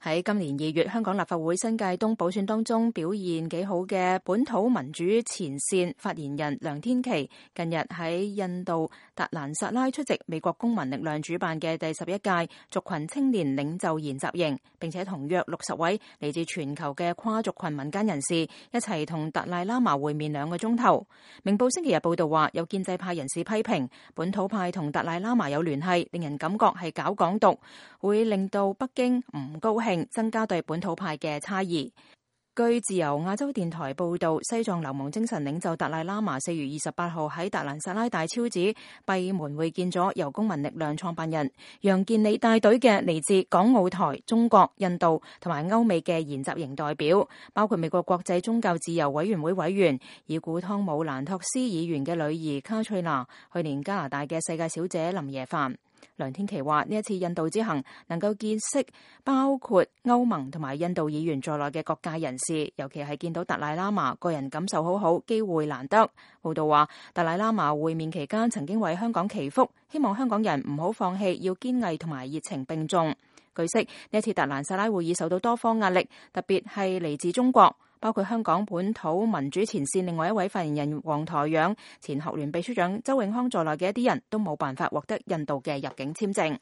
喺今年2月，香港立法會新界東補選當中表現幾好嘅本土民主前線發言人梁天琦，近日喺印度達蘭薩拉出席美國公民力量主辦嘅第11屆族群青年領袖研習營，並且同約60位嚟自全球嘅跨族群民間人士一齊同達賴喇嘛會面2個鐘頭。明報星期日報道話，有建制派人士批評本土派同達賴喇嘛有聯繫，令人感覺係搞港獨，會令到北京唔高興，增加對本土派嘅差異。據自由亞洲電台報道，西藏流亡精神領袖達賴喇嘛4月28號喺達蘭薩拉大昭寺閉門會見咗由公民力量創辦人楊健理帶隊嘅嚟自港澳台、中國、印度同埋歐美嘅研習營代表，包括美國國際宗教自由委員會委員已故湯姆蘭托斯議員嘅女兒卡翠娜，去年加拿大嘅世界小姐林耶凡。梁天琦話：呢一次印度之行能夠見識包括歐盟同埋印度議員在內嘅各界人士，尤其係見到達賴喇嘛，個人感受好好，機會難得。報道話，達賴喇嘛會面期間曾經為香港祈福，希望香港人唔好放棄，要堅毅同埋熱情並重。據悉，呢一次達蘭薩拉會議受到多方壓力，特別係嚟自中國，包括香港本土民主前線另外一位發言人黃台仰、前學聯秘書長周永康在內嘅一啲人都冇辦法獲得印度嘅入境簽證。